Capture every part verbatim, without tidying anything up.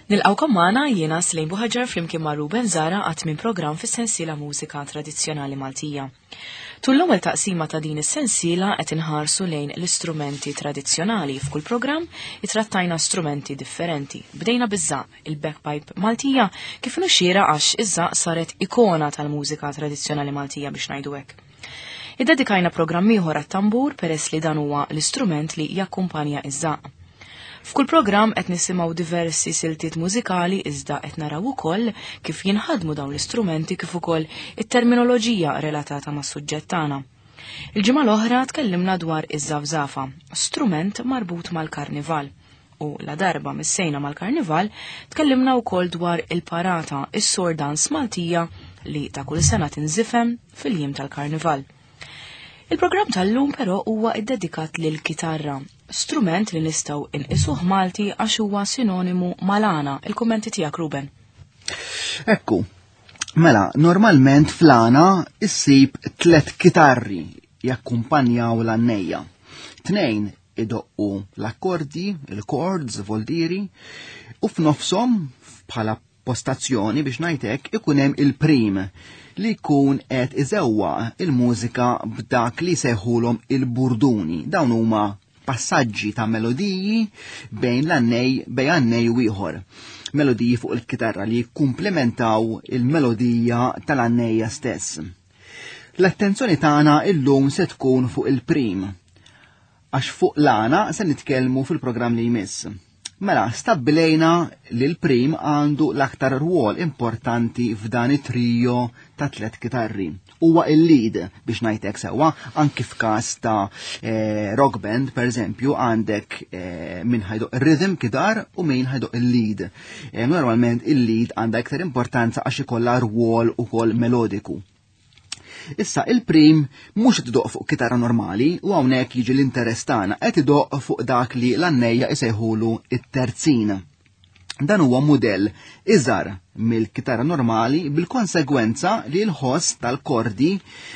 Nilqgħukom magħna jiena Slejn Buħaġar flimkien ma' Ruben Zara għat minn programm fis-sensiela Mużika Tradizzjonali Maltija. Tul l-ewwel taqsima ta' din is-sensiela qed inħarsu lejn l-istrumenti tradizzjonali. F'kull programm itrattajna strumenti differenti. Bdejna biż-żaqq, il-bagpipe Maltija, kif nuxira għax iż-żaqq saret ikona tal-mużika tradizzjonali Maltija biex ngħidu hekk. Iddedikajna programm ieħor għat-tambur peress li dan huwa l-istrument li jakkumpanja iż-żaqq. F'kull programm qed nisimgħu diversi siltiet mużikali iżda qed naraw ukoll kif jinħadmu dawn l-istrumenti kif ukoll it-terminoloġija relatata mas-suġġett tagħna. Il-ġimgħa l-oħra tkellimna dwar iż-żafżafa, strument marbut mal-karnival. U la darba missejna mal-karnival, tkellimna wkoll dwar il-parata, is-sword dance Maltija li ta' kull sena tinżifem fil-jiem tal-karnival. Il-programm tal-lum però huwa iddedikat lil kitarra, strument li nistgħu inqisuh Malti għax huwa sinonimu mal-għana. Il-kummenti tiegħek Ruben. Ekku, mela, normalment fl-għana issib tlet kitarri jakkumpanjaw l-għannejja. Tnejn idoqqu l-akkordi, il-chords, voldiri, u f'nofshom bħala postazzjoni biex ngħidlek ikun hemm il-prim li jkun qed iżewwa il-mużika b'dak li sejħulhom il-burduni. Dawn huma passaġġi ta' melodiji bejn l-għannej bejn għannej u ieħor. Melodiji fuq il-kitarra li jikkumplementaw il-melodija tal-għannejja stess. L-attenzjoni tagħna illum se tkun fuq il-prim, għax fuq l-għana se nitkellmu fil-programm li jmiss. Mela, stabbilejna li l-prim għandu l-aktar rwol importanti f'dan it-trio ta' tlet kitarri. Huwa il-lead biex ngħidlek sewwa, anki f'każ ta' eh, rock band, per eżempju, għandek eh, min ħa jdoqq rhythm guitar u min ħa jdoqq il-lead. Eh, normalment il-lead għandha iktar importanza għax ikollha rwol ukoll melodiku. Issa il-prim mhux qed idoqq fuq kitarra normali u hawnhekk jiġi l-interess tagħna qed idoqq fuq dak li l-għannejja isejħulu it-terzin. Dan huwa mudell iżgħar mill-kitarra normali bil-konsegwenza li l-ħoss tal-kordi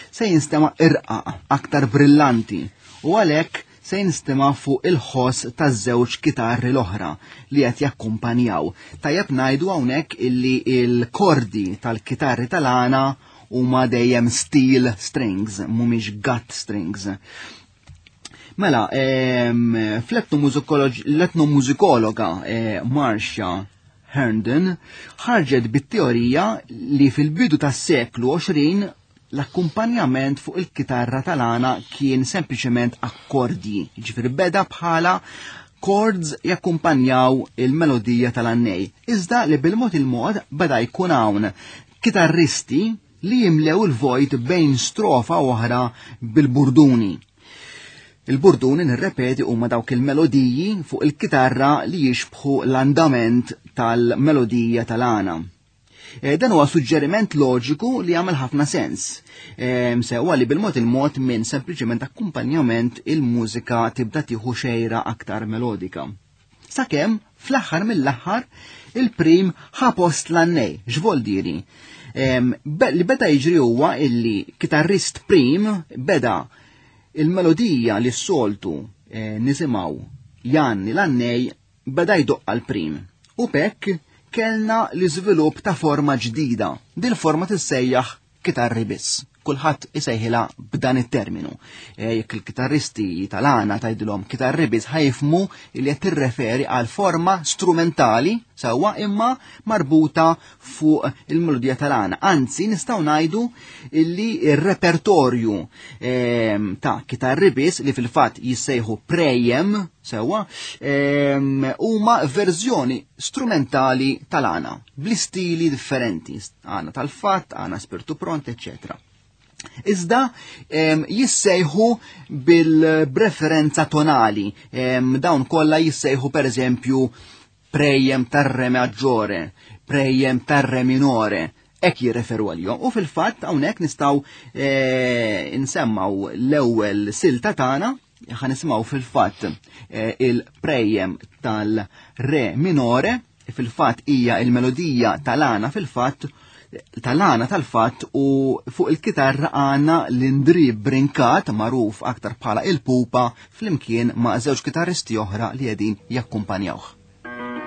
se jinstema' irqaq, aktar brillanti u għalhekk se jinstema' fuq il-ħoss taż-żewġ kitarri l-oħra li qed jakkumpanjaw. Tajjeb ngħidu hawnhekk illi il-kordi tal-kitarri tal-għana huma dejjem steel strings, mhumiex gut strings. Mela, em, fl-etnomużikologa eh, Marcia Herndon ħarġet bit-teorija li fil-bidu tas-seklu għoxrin l-akkumpanjament fuq il-kitarra tal-għana kien sempliċement akkordji, ġifieri beda bħala chords jakkumpanjaw il-melodija tal-għannej. Iżda li bil-mod il-mod beda jkun hawn kitarristi li jimlew il-vojt bejn strofa oħra bil-burduni. Il-burduni, nirrepeti, huma dawk il-melodiji fuq il-kitarra li jixbħu l-andament tal-melodija tal-għana. E, dan huwa suġġeriment loġiku li jagħmel ħafna sens. E, sewa li bil-mod il-mod minn sempliċement akkumpanjament il-mużika tibda tieħu xejra aktar melodika. Sakemm fl-aħħar mill-aħħar il-prim ħa post l-għannej, x'voldiri. Em, be-, li beda jiġri huwa illi kitarrist prim beda il-melodija li s-soltu, eh, nisimgħu Janni l-għannej beda jdoqq għal-prim. U bekk kellna l-iżvilupp ta' forma ġdida. Dil forma tissejjaħ kitarri biss. Kulħadd isejħilha b'dan it-terminu. Eh, jekk il-kitarristi tal-għana tgħidilhom kitarri biss ħa jifhmu li qed tirreferi għal forma strumentali sewwa imma marbuta fuq il-melodija tal-għana. Anzi, nistgħu ngħidu illi ir-repertorju, ehm, ta' kitarri biss li fil-fatt jissejħu prejem sewwa, ehm, huma verżjoni strumentali tal-għana bl-istili differenti, għana tal-fatt, għana spirtu pront, eccetera. Iżda, em, jissejħu bil-preferenza tonali. Em, dawn kollha jissejħu per eżempju prejem tar-re maggiore, prejem tar-re minore, hekk jirreferu għalihom. U fil-fatt hawnhekk nistgħu, eh, nsemmaw l-ewwel silta tagħna, ħa nisimgħu fil-fatt, eh, il-prejem tal-re minore, fil-fatt hija il-melodija tal-għana fil-fatt tal-għana tal-fatt u fuq il-kitarra għandna l-Indri Brincat magħruf aktar bħala il-Pupa flimkien ma' żewġ kitarristi oħra li qegħdin jakkumpanjawh. Thank you.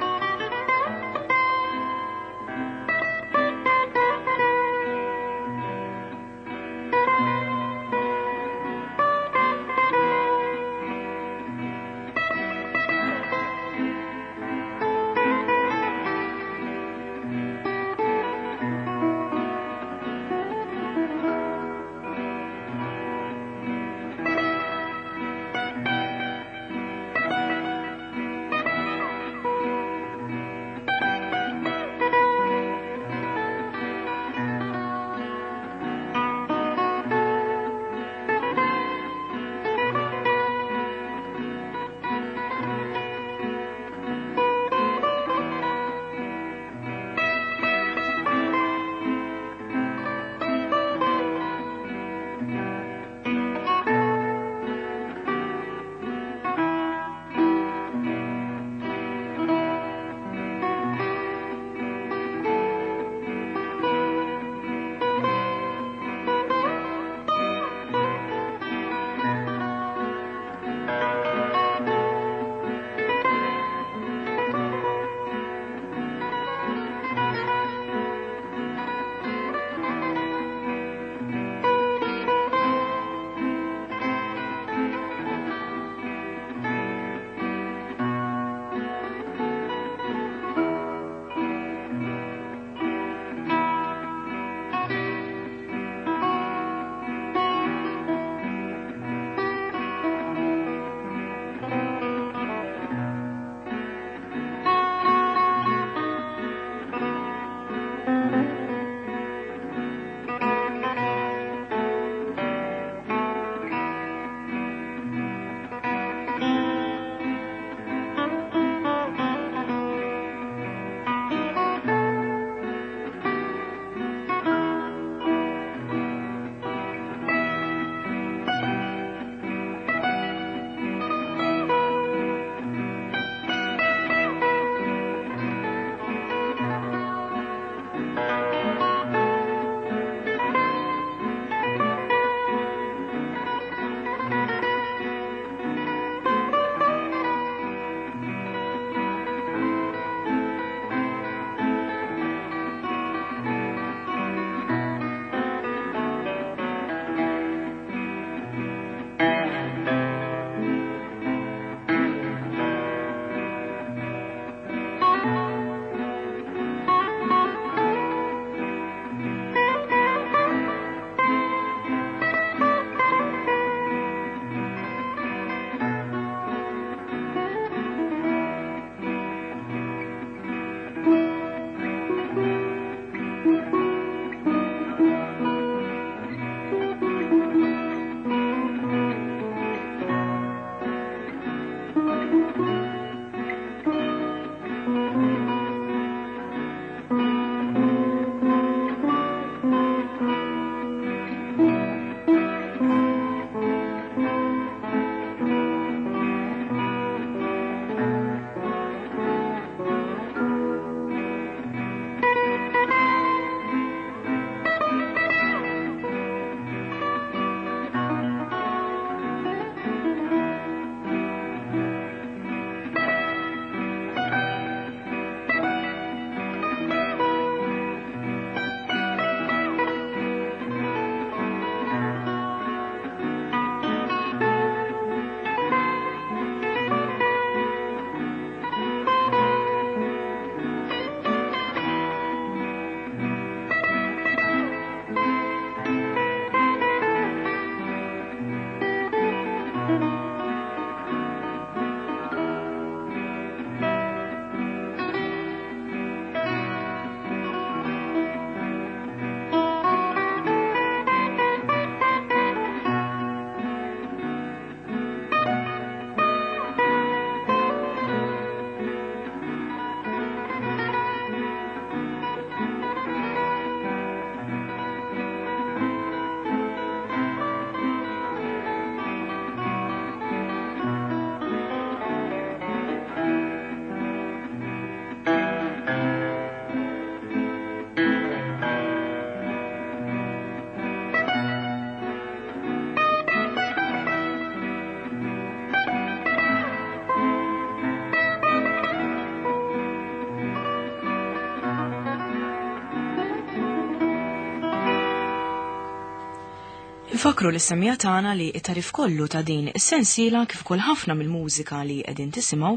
Infakru lis-semmiegħa tagħna li t-tagħrif kollu ta' din is-sensiela kif ukoll ħafna mill-mużika li qegħdin tisimgħu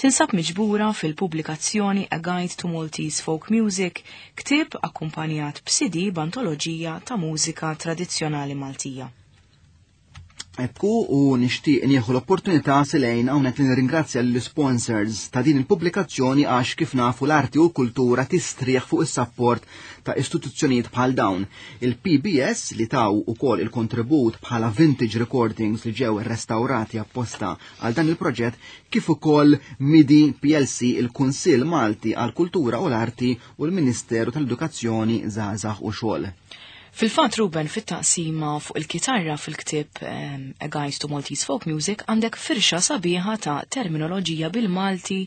tinsab miġbura fil-pubblikazzjoni A Guide to Maltese Folk Music, ktieb akkumpanjat b'C D b'antoloġija ta' mużika tradizzjonali Maltija. Ekku, u nixtieq nieħu l-opportunità, Selejn, hawnhekk li nirringrazzja l-sponsors ta' din il-pubblikazzjoni, għax kif nafu l-arti u l-kultura tistrieħ fuq is-support ta' istituzzjonijiet bħal dawn. Il-P B S li taw ukoll il-kontribut bħala vintage recordings li ġew restaurati apposta għal dan il-proġett, kif ukoll MIDI P L C, il-Kunsill Malti għal Kultura u l-Arti u l-Ministeru tal-Edukazzjoni, Żgħażagħ u Xogħol. Fil-fat, Ruben, fit-taqsima fuq il-kitarra fil-ktieb um, A Guide to Maltese Folk Music għandek firxa sabiħa ta' terminoloġija bil-Malti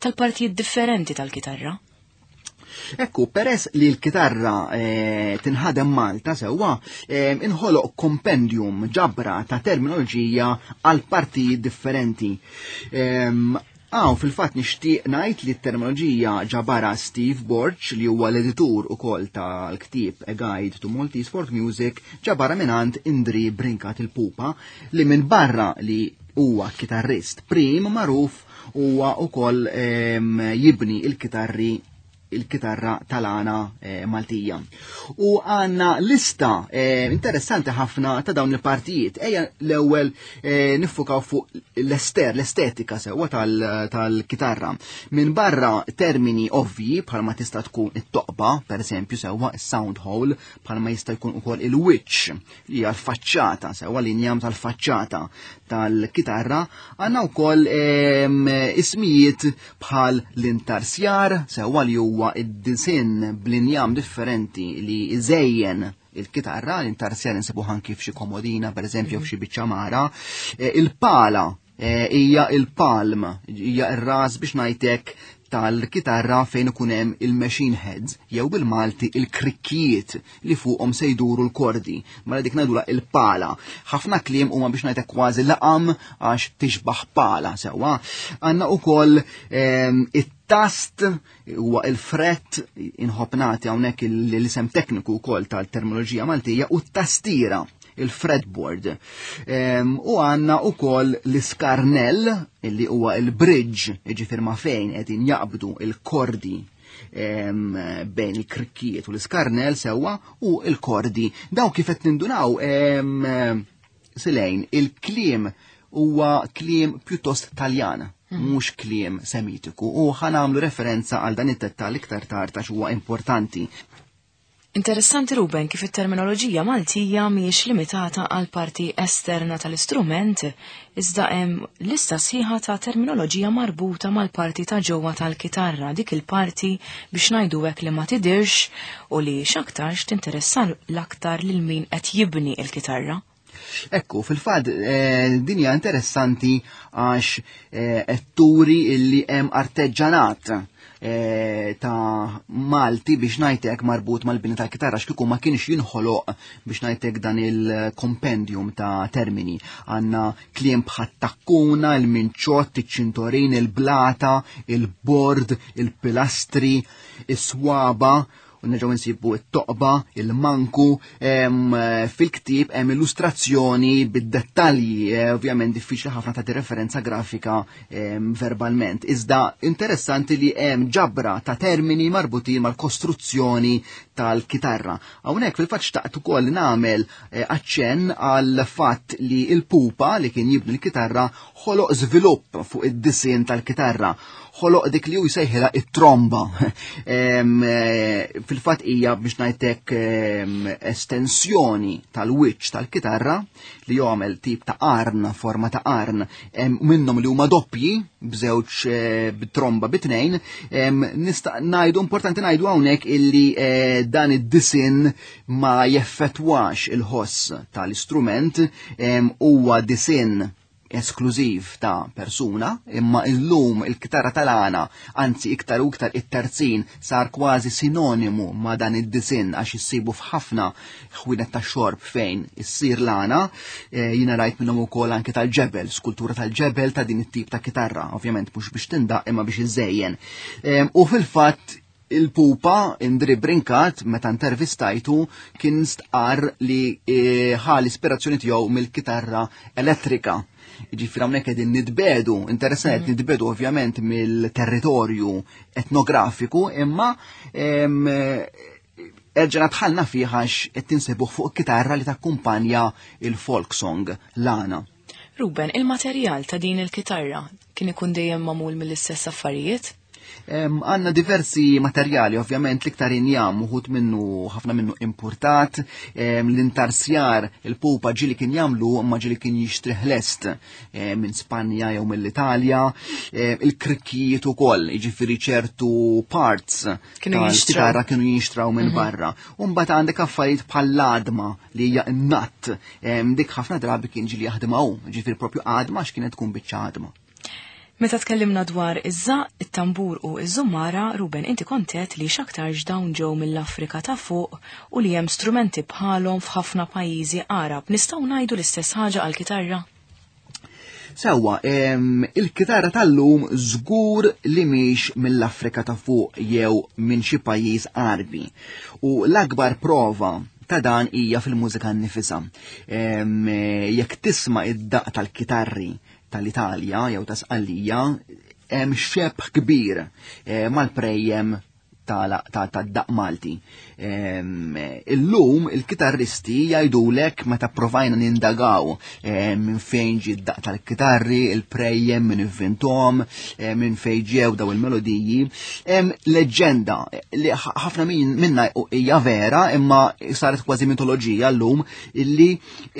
tal-partijiet differenti tal-kitarra. Ekku, peress li l-kitarra eh, tinħadem Malta sewwa, eh, inħoloq kompendium, ġabra ta' terminoloġija għal partijiet differenti. Eh, Għaw, fil-fat nixtieq ngħid li t-terminoloġija ġabara Steve Borg, li huwa l-editur ukoll tal-ktieb A Guide to Maltese Folk Music, ġabara mingħand Indri Brinkat il-Pupa, li minn barra li huwa kitarrist prim magħruf, huwa ukoll jibni il-kitarri il-kitarra tal-għana eh, Maltija. U għanna lista eh, interessanti ħafna ta' dawn il-partijiet. Ejja l-ewwel eh, niffukaw fuq l-ester, l-estetika sewwa tal-kitarra. Minn barra termini ovvji bħalma tista' tkun it-toqba, per eżempju, sewwa sound hole, bħalma jista' jkun ukoll il-wiċċ li hija l-faċċata, sewwa l-injam tal-faċċata tal-kitarra, għandna wkoll ismijiet bħal l-intarsjar, sewwa li huwa id-disinn bl-injam differenti li iżejjen il-kitarra, l-intarsjar insibu anki f'xi komodina, per eżempju, f'xi biċċa mara, e, il-pala e, hija il-palm, hija ir-ras biex ngħidlek tal-kitarra fejn ikun hemm il-machine heads jew bil-Malti il-krikkijiet li fuqhom se jduru l-kordi. Mela dik ngħidula il-pala. Ħafna kliem huma biex ngħidlek kważi laqam għax tixbaħ pala sewwa. Għandna ukoll ehm, it-tast, huwa il-fret, inħobb nagħti hawnhekk l-isem tekniku wkoll tal-terminoloġija Maltija, u t-tastira, il-fretboard. U għanna u koll l-iskarnell, illi huwa il-bridge, ġifir ma fejn qegħdin jaqbdu il-kordi bejn il-krikkijiet u l-iskarnell sewwa u il-kordi. Daw kif qed nindunaw, Selejn, il-kliem huwa kliem pjuttost Taljan, mhm. mhux kliem Semitiku, u ħa nagħmlu referenza għal dan it-dettal iktar tard għax huwa importanti. Interessanti, Ruben, kif it-terminoloġija Maltija mhijiex limitata għal parti esterna tal-istrument, iżda hemm lista sħiħa ta' terminoloġija marbuta mal-parti ta' ġewwa tal-kitarra, dik il-parti biex ngħidu hekk li ma tidirx u li x'aktarx tinteressa l-aktar lil min qed jibni l-kitarra. Ekku, fil-fat, eh, dinja interessanti għax eh, turi illi hemm arteġġanat Eh, ta' Malti biex ngħidlek marbut mal-bini tal-kitarra, x'kieku ma kienx jinħoloq biex ngħidlek dan il-kompendium ta' termini. Għanna kliem bħat-takkuna, il-minċott, il-ċintorin, il-blata, il-bord, il-pilastri, is-swaba, u nerġgħu nsibu it-toqba, il-manku, fil-ktieb hemm illustrazzjoni bid-dettalji, eh, ovvjament diffiċli ħafna ta' referenza grafika verbalment. Iżda interessanti li hemm ġabra ta' termini marbutin mal-kostruzzjoni tal-kitarra. Hawnhekk fil-fatt xtaqt ukoll nagħmel eh, aċċenn għal fatt li il-pupa li kien jibni l-kitarra ħoloq żvilupp fuq id-disinn tal-kitarra, ħoloq dik li hu jsejħilha it-tromba. Eh, fil-fatt hija biex ngħidlek estensjoni tal-wiċċ tal-kitarra li jagħmel tip ta' qarn, forma ta' qarn, minnhom li huma doppji b'żewġ eh, b'tromba bitnejn. Nista' ngħidu, importanti ngħidu hawnhekk illi eh, dan id-disinn ma jeffettwax il-ħoss tal-istrument, huwa disinn esklużiv ta' persuna, imma illum il-kitarra tal-għana, anzi iktar u iktar it-terzin, sar kważi sinonimu ma' dan id-disinn għax issibu f'ħafna ħwienet ta' xorb fejn issir l-għana, e, jina rajt minnhom ukoll anke tal-ġebel, skultura tal-ġebel ta' din it-tip ta' kitarra, ovvjament mhux biex tindaq imma biex iżejjen. E, u fil-fatt Il-pupa Indri Brinkat meta intervistajtu kien stqar li eh, ħa l-ispirazzjoni tiegħu mill-kitarra elettrika. Ġifieri hawnhekk qegħdin nitbedu, interessanti mm -hmm. nitbedu ovvjament mill-territorju etnografiku, imma erġana dħalna fih għax qed tinsebuh fuq kitarra li takkumpanja il-folk song l-għana. Ruben, il-materjal ta' din il-kitarra kien ikun dejjem magħmul mill-istess affarijiet? Għanna diversi materjali, ovvjament l-iktar injam, uħud minnu, ħafna minnu importat, l-intarsjar, il-pupa ġili kien jamlu, ma ġili kien jixtrih lest minn Spanja jew mill-Italja, il-krikkijiet ukoll, jiġifieri ċertu parts Kienu jinxtraw. Kienu jinxtraw minn mhm. barra. U mbagħad għandek affarijiet bħall-għadma li hija n-natt, dik ħafna drabi kien ġili jaħdimha hu, jiġifieri propju għadma x'kienet tkun biċċa għadma. Meta tkellimna dwar iż-żaq, it-tambur u iż-żummara, Ruben, inti kontet li x'aktarx dawn ġew mill-Afrika ta' fuq u li hemm strumenti bħalhom f'ħafna pajjiżi Arab. Nistgħu ngħidu l-istess ħaġa għall-kitarra? Sewwa, il-kitarra tal-lum żgur li mhix mill-Afrika ta' fuq jew minn xi pajjiż Arbi. U l-akbar prova ta' dan hija fil-mużika nnifisha. Jekk tisma' id-daq tal-kitarri tal-Italja jew ta' Sqallija, hemm xebh kbir eh, mal-prejjem tad-daq Malti. Illum il-kitarristi jgħidulek meta provajna nindagaw minn fejn ġie d-daq tal-kitarri, il-prejjem minn ivvintom, minn fejn ġew daw il-melodiji. Hemm leġġenda li ħafna minna hija vera imma saret kważi mitoloġija llum illi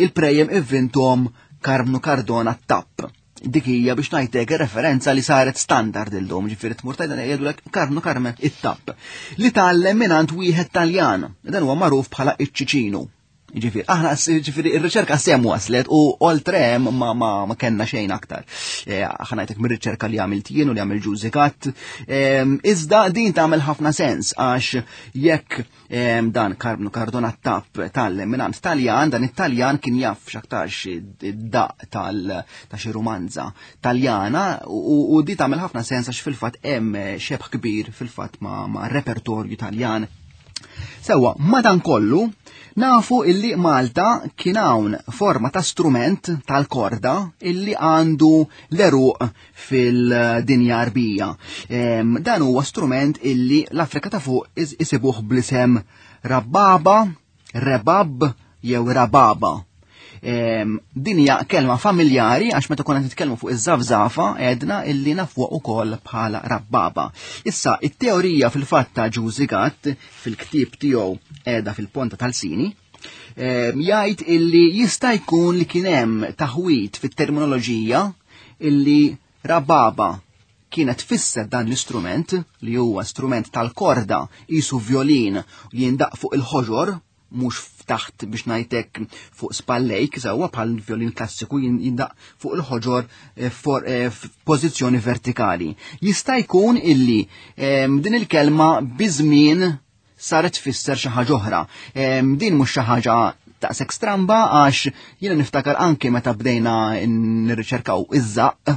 il-prejjem ivvintom Karmnu Cardona Tapp. Dik hija biex ngħidlek referenza li saret standard illum, ġifieri tmur tgħidha jgħidulek Karmnu Carmen it-Tapp. Li tgħallem mingħand wieħed Taljan, dan huwa magħruf bħala iċ-Ċiċinu. Ġifieri, aħna ġifieri ir-riċerka sem waslet u oltre hemm ma, ma, ma kellna xejn aktar. Aħna ngħidlek mir-riċerka li għamilt jien u li għamil Ġużi Gatt. Iżda din tagħmel ħafna sens għax jekk dan Karmnu Cardona Tapp tgħallem mingħand Taljan, dan it-Taljan kien jaf x'aktarx id-daq tal ta' xi rumanza Taljana u, u di tagħmel ħafna sens għax fil-fatt hemm xebh kbir fil-fatt ma, ma' repertorju Taljan. Sewwa, madankollu, nafu illi Malta kien hawn forma ta' strument tal-korda illi għandu l-eruq fil-dinja Arbija. Dan huwa strument illi l-Afrika ta' fuq isibuh bl-isem rabbaba, rebab jew rababa. Din hija kelma familjari għax meta konna nitkellmu fuq iż-żafżafa għedna illi nafuha ukoll bħala rabbaba. Issa, it-teorija fil-fatt ta' Ġużi Gatt fil-ktieb tiegħu qiegħda fil-Ponta tal-Sini, jgħid illi jista' jkun li kien hemm taħwit fit-terminoloġija illi rababa kienet tfisser dan l-istrument li huwa strument tal-korda qisu violin jindaq fuq il-ħoġor, mhux taħt biex ngħidlek fuq spallejk, sewwa bħal violin klassiku jindaq fuq il-ħoġor f'pożizzjoni vertikali. Jista' jkun illi din il-kelma biżmien saret tfisser xi ħaġa oħra. Din mhux xi ħaġa daqshekk stramba għax jiena niftakar anke meta bdejna nirriċerkaw iż-żaq,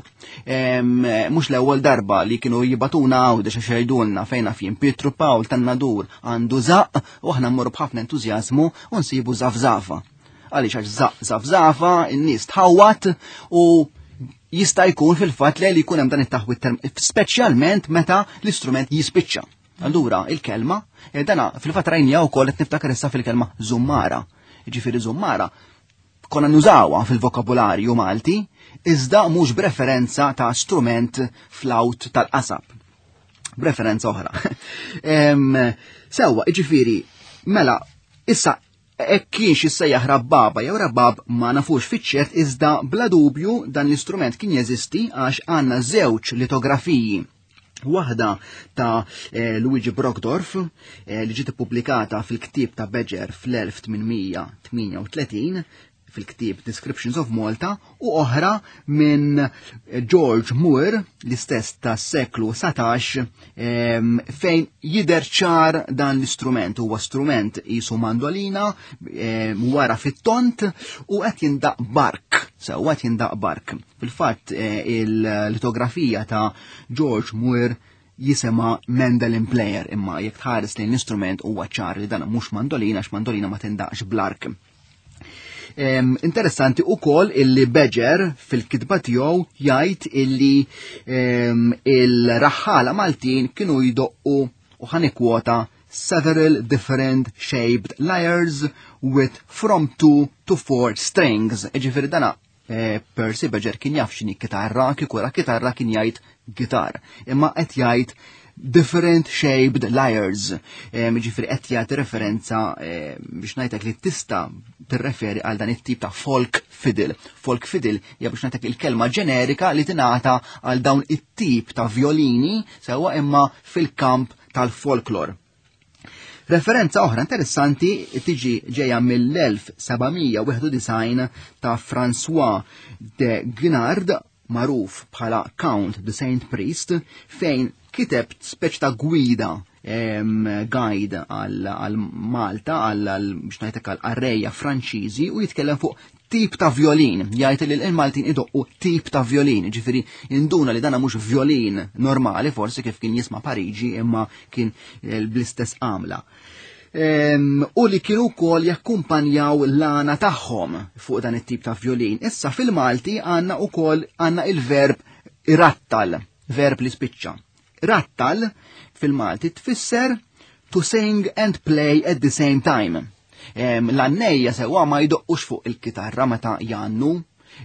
mhux l-ewwel darba li kienu jibatuna Għawdex għax jgħidulna fejn naf jien Pietru Pawl tan-Nadur għandu żaq u aħna mmorru b'ħafna entużjażmu u nsibu żafżafa. Għaliex għax żaq żafżafa, in-nies tħawwat u jista' jkun fil-fatt li jkun hemm dan it-taħwit speċjalment meta l-istrument jispiċċa. Allura il-kelma, dana fil-fatt rajnija wkoll qed niftakar issa fil-kelma żummara. Ġifieri żummara konna nużawha fil-vokabularju Malti, iżda mhux b'referenza ta' strument flaut tal-qasab. B'referenza oħra. Sewwa, ġifieri, mela, issa hekk kienx issejjaħ rabbaba jew rabbab ma nafux fiċ-ċert, iżda bla dubju dan l-istrument kien jeżisti għax għandna żewġ litografiji. Waħda ta' Luigi Brockdorff li ġiet ippubblikata fil-ktieb ta' Beġer fl-elf tmien mija tmienja u tletin fil-ktieb Descriptions of Malta, u oħra minn George Moore, l-istess tas seklu satax, fejn jidher ċar dan l-istrument. Huwa strument qisu mandolina, wara fit-tont u qed jindaq bark. Sewwa qed jindaq bark. Fil-fatt il-litografija ta' George Moore jisema mandolin player, imma jekk tħares lejn l-istrument huwa ċar li dan mhux mandolina għax mandolina ma tindaqx bl-ark. Em, interessanti u koll illi Beger fil-kitba tiegħu jgħid illi em, il-raħħala Maltin kienu jdoqqu u ħanikwota several different shaped lyres with from two to four strings. Ġifieri dana eh, Percy Beger kien jaf x'inhi kitarra, kieku ra kitarra kien jgħid gitar. Imma qed jgħid different shaped lyres. Ġifieri qed jagħti referenza eh, biex ngħidlek li tista' tirreferi għal dan it-tip ta' folk fiddle. Folk fiddle hija biex ngħidlek il-kelma ġenerika li tingħata għal dawn it-tip ta' violini sewwa imma fil-kamp tal-folklor. Referenza oħra interessanti tiġi ġejja mill-elf sebgħamija wieħed u disgħin ta' François de Guinard, magħruf bħala Count de Saint Priest, fejn kiteb speċ ta' gwida, em, guide għal, għal Malta, għal, għal, biex ngħidlek għal qarrejja Franċiżi, u jitkellem fuq tip ta' violin, jgħid li l-Maltin idoqqu tip ta' violin, ġifieri induna li dana mhux violin normali, forsi kif kien jisma' Pariġi, imma kien, eh, bl-istess għamla. Em, u li kienu wkoll jakkumpanjaw l-għana tagħhom fuq dan it-tip ta' violin. Issa fil-Malti għandna wkoll għandna il-verb irattal, verb li spiċċa. Rattal fil-Malti tfisser to sing and play at the same time. Em, l-għannejja sewwa ma jdoqqux fuq il-kitarra meta jannu,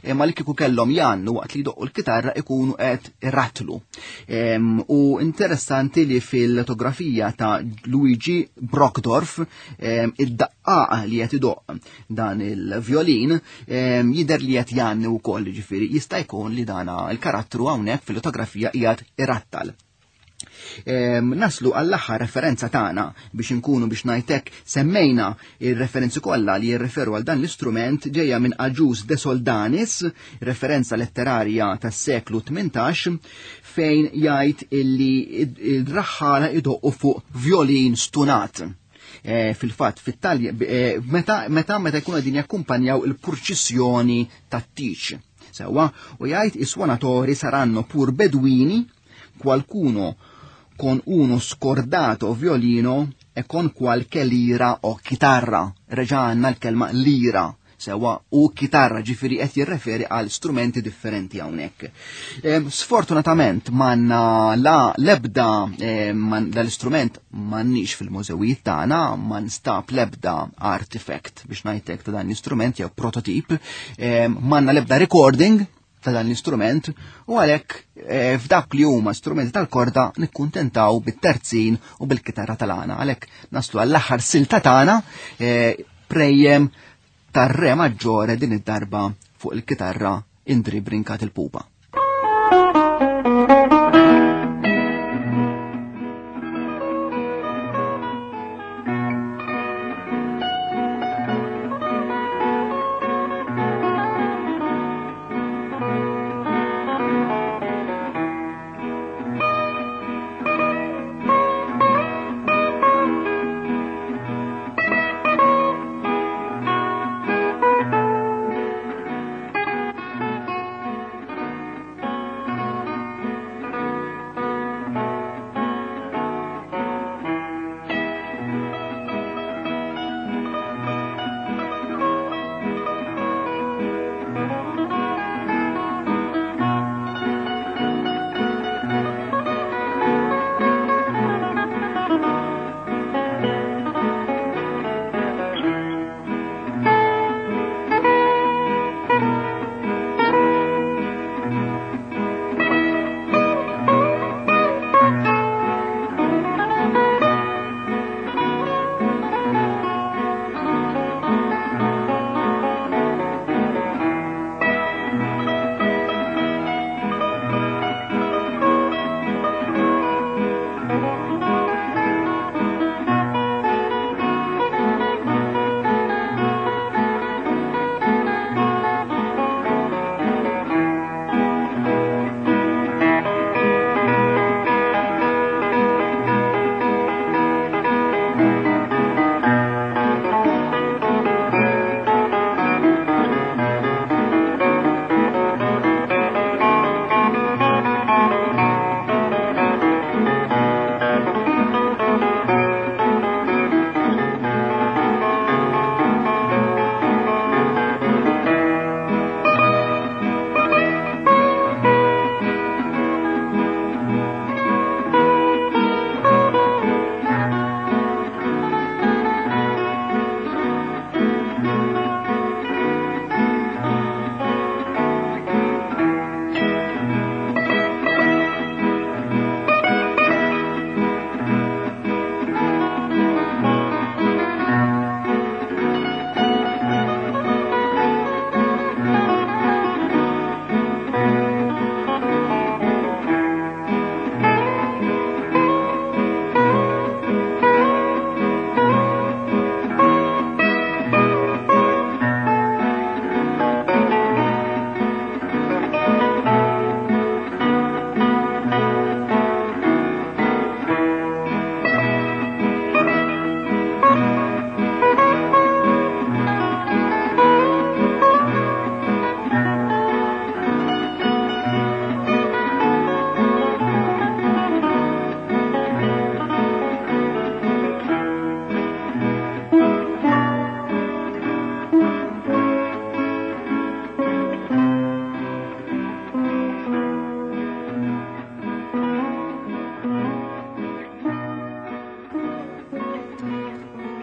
imma li kieku kellhom jannu waqt li jdoqqu l-kitarra ikunu qed irratlu. Em, u interessanti li fil-fotografija ta' Luigi Brockdorff, em, id-daqqaq li qed idoqq dan il-violin, em, jidher li qed janni wkoll, ġifieri jista' jkun li dana il-karattru hawnhekk fil-fotografija qiegħed irattal. Em, naslu għall-aħħar referenza tagħna biex inkunu biex ngħidlek semmejna ir-referenzi kollha li jirreferu għal dan l-istrument ġejja minn Agius de Soldanis, referenza letterarja tas-seklu tmintax, fejn jgħid illi il-raħħala idoqqu fuq violin stunat. Eh, fil-fatt, fit-Talja, eh, meta, meta, meta jkunu qegħdin jakkumpanjaw il-purċissjoni tat-tiċ. Sewwa, u jgħid i suonatori saranno pur beduini, qualcuno con uno scordato violino e con qualche lira o chitarra. Reġa' għandna l-kelma lira, sewa u chitarra, ġifieri qed jirreferi għal strumenti differenti hawnhekk. Em, sfortunatament manna la lebda, em, man, dal-istrument m'għandniex fil-mużewijiet tagħna, ma nstab lebda artifact biex ngħidlek ta' dan l-istrument jew prototip, em, m'għandna lebda recording ta' dan l-istrument, u għalhekk, eh, f'dak li huma strumenti tal-korda nikkuntentaw bit-terzin u bil-kitarra tal-għana. Għalhekk naslu għall-aħħar silta tagħna, eh, prejjem tar-re maġġore din id-darba fuq il-kitarra Indri Brincat il-Pupa.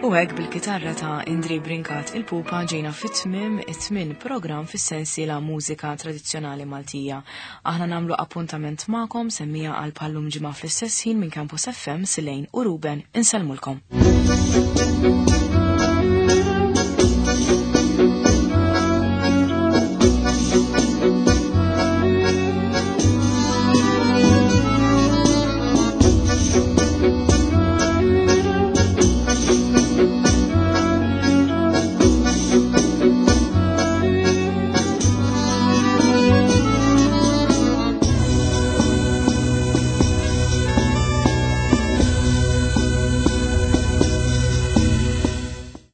U hekk bil-kitarra ta' Indri Brinkat il-Pupa ġejna fit-tmim it-tmin program fis-sensiela Mużika Tradizzjonali Maltija. Aħna nagħmlu appuntament magħkom semmija għal bħal-lum ġimgħa fl-istess ħin minn Campus F M Silejn u Ruben insellmulkom.